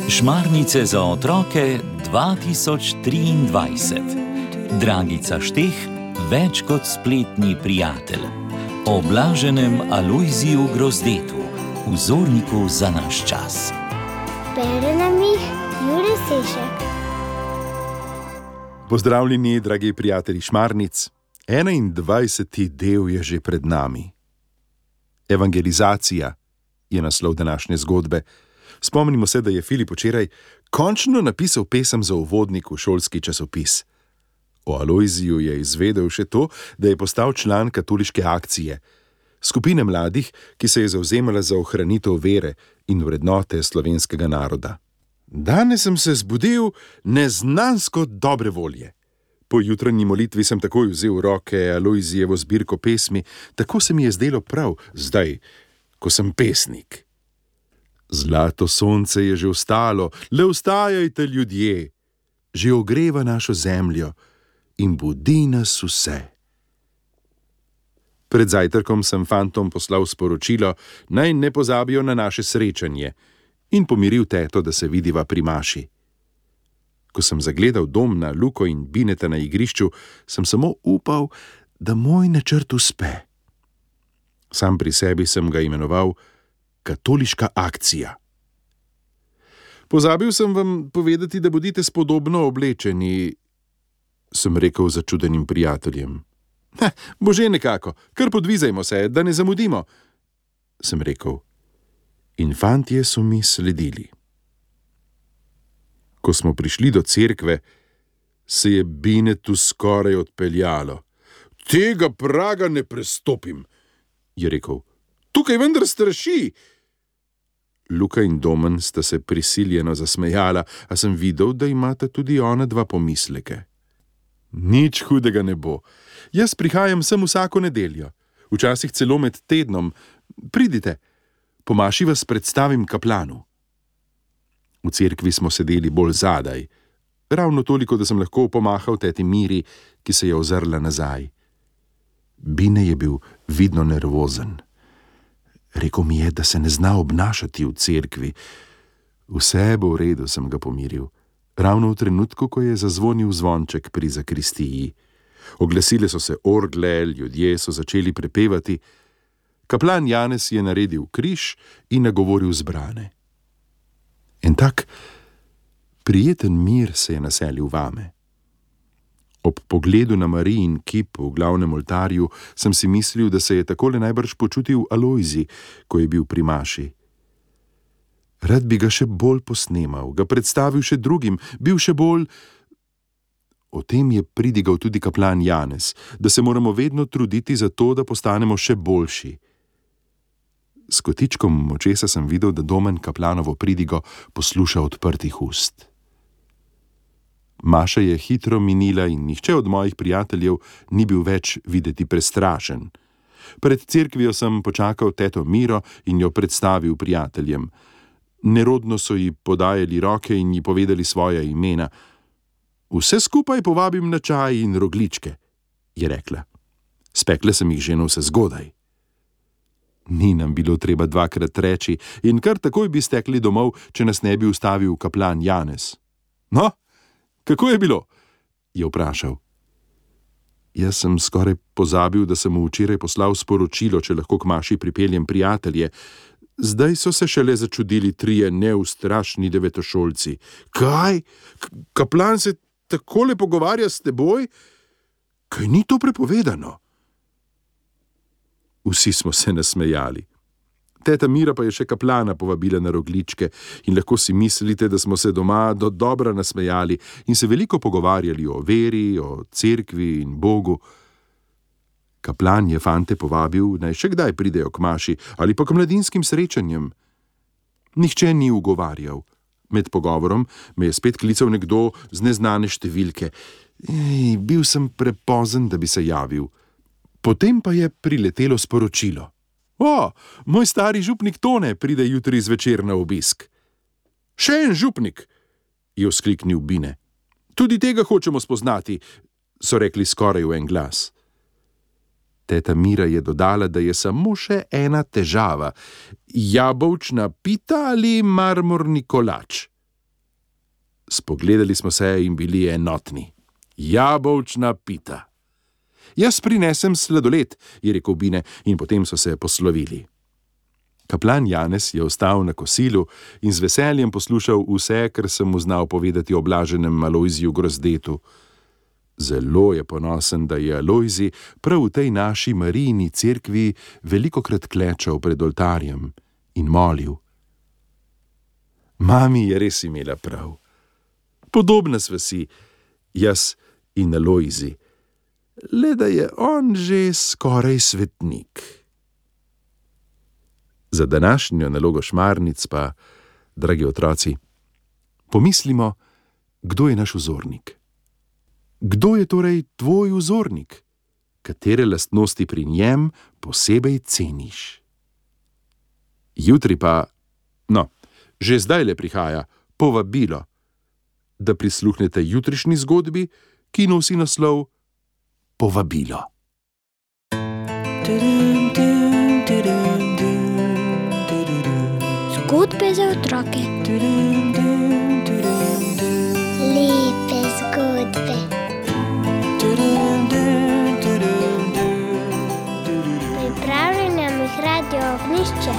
Šmarnice za otroke 2023. Dragica Šteh, več kot spletni prijatelj. O blaženem Alojziju Grozdetu, vzorniku za naš čas. Bere nam jih Jure Sešek. Pozdravljeni, dragi prijatelji Šmarnic. 21. del je že pred nami. Evangelizacija je naslov današnje zgodbe. Spomnimo se, da je Filip včeraj končno napisal pesem za uvodnik v šolski časopis. O Alojziju je izvedel še to, da je postal član katoliške akcije, skupine mladih, ki se je zavzemala za ohranitev vere in vrednote slovenskega naroda. Danes sem se zbudil neznansko dobre volje. Po jutranji molitvi sem takoj vzel v roke Alojzijevo zbirko pesmi, tako se mi je zdelo prav zdaj, ko sem pesnik. Zlato sonce je že vstalo, le vstajajte, ljudje, že ogreva našo zemljo in budi nas vse. Pred zajtrkom sem fantom poslal sporočilo, naj ne pozabijo na naše srečanje, in pomiril teto, da se vidiva pri maši. Ko sem zagledal dom na Luko in Bineta na igrišču, sem samo upal, da moj načrt uspe. Sam pri sebi sem ga imenoval Katoliška akcija. Pozabil sem vam povedati, da bodite spodobno oblečeni, sem rekel začudenim prijateljem. Bo že nekako, kar podvizajmo se, da ne zamudimo, sem rekel. In fantje so mi sledili. Ko smo prišli do cerkve, se je Binetu skoraj odpeljalo. Tega praga ne prestopim, je rekel. Tukaj vendar straši. Luka in Domen sta se prisiljeno zasmejala, a sem videl, da imata tudi ona dva pomisleke. Nič hudega ne bo. Jaz prihajam sem vsako nedeljo, včasih celo med tednom. Pridite, po maši vas predstavim kaplanu. V cerkvi smo sedeli bolj zadaj, ravno toliko, da sem lahko pomahal teti Miri, ki se je ozrla nazaj. Bine je bil vidno nervozen. Rekel mi je, da se ne zna obnašati v cerkvi. Vse bo v redu, sem ga pomiril. Ravno v trenutku, ko je zazvonil zvonček pri zakristiji. Oglasile so se orgle, ljudje so začeli prepevati. Kaplan Janez je naredil križ in nagovoril zbrane. En tak prijeten mir se je naselil vame. Ob pogledu na Marijin kip v glavnem oltarju sem si mislil, da se je takole najbrž počutil Alojzij, ko je bil pri maši. Rad bi ga še bolj posnemal, ga predstavil še drugim, bil še bolj... O tem je pridigal tudi kaplan Janez, da se moramo vedno truditi za to, da postanemo še boljši. S kotičkom očesa sem videl, da Domen kaplanovo pridigo posluša odprtih ust. Maša je hitro minila in nihče od mojih prijateljev ni bil več videti prestrašen. Pred cerkvijo sem počakal teto Miro in jo predstavil prijateljem. Nerodno so ji podajali roke in ji povedali svoja imena. Vse skupaj povabim na čaj in rogličke, je rekla. Spekle sem jih že navse zgodaj. Ni nam bilo treba dvakrat reči in kar takoj bi stekli domov, če nas ne bi ustavil kaplan Janez. No, kako je bilo? Je vprašal. Jaz sem skoraj pozabil, da sem mu včeraj poslal sporočilo, če lahko k maši pripeljem prijatelje. Zdaj so se šele začudili 3 neustrašni devetošolci. Kaj? Kaplan se takole pogovarja s teboj? Kaj ni to prepovedano? Vsi smo se nasmejali. Teta Mira pa je še kaplana povabila na rogličke in lahko si mislite, da smo se doma do dobra nasmejali in se veliko pogovarjali o veri, o cerkvi in Bogu. Kaplan je fante povabil, naj še kdaj pridejo k maši ali pa k mladinskim srečanjem. Nihče ni ugovarjal. Med pogovorom me je spet klical nekdo z neznane številke. Bil sem prepozen, da bi se javil. Potem pa je priletelo sporočilo. O, moj stari župnik Tone pride jutri zvečer na obisk. Še en župnik, je vzkliknil Bine. Tudi tega hočemo spoznati, so rekli skoraj v en glas. Teta Mira je dodala, da je samo še ena težava: jabolčna pita ali marmorni kolač. Spogledali smo se in bili enotni. Jabolčna pita. Jaz prinesem sladoled, je rekel Bine, in potem so se poslovili. Kaplan Janez je ostal na kosilu in z veseljem poslušal vse, kar sem mu znal povedati o blaženem Alojziju Grozdetu. Zelo je ponosen, da je Alojzij prav v tej naši Marijini cerkvi velikokrat klečal pred oltarjem in molil. Mami je res imela prav. Podobna sva si, jaz in Alojzij, le da je on že skoraj svetnik. Za današnjo nalogo šmarnic pa, dragi otroci, pomislimo, kdo je naš vzornik. Kdo je torej tvoj vzornik? Katere lastnosti pri njem posebej ceniš? Jutri pa, že zdajle prihaja povabilo, da prisluhnete jutrišnji zgodbi, ki nosi naslov Povabilo. Zgodbe za otroke. Lepe zgodbe. Pripravljeno jih Radio Ognjišče.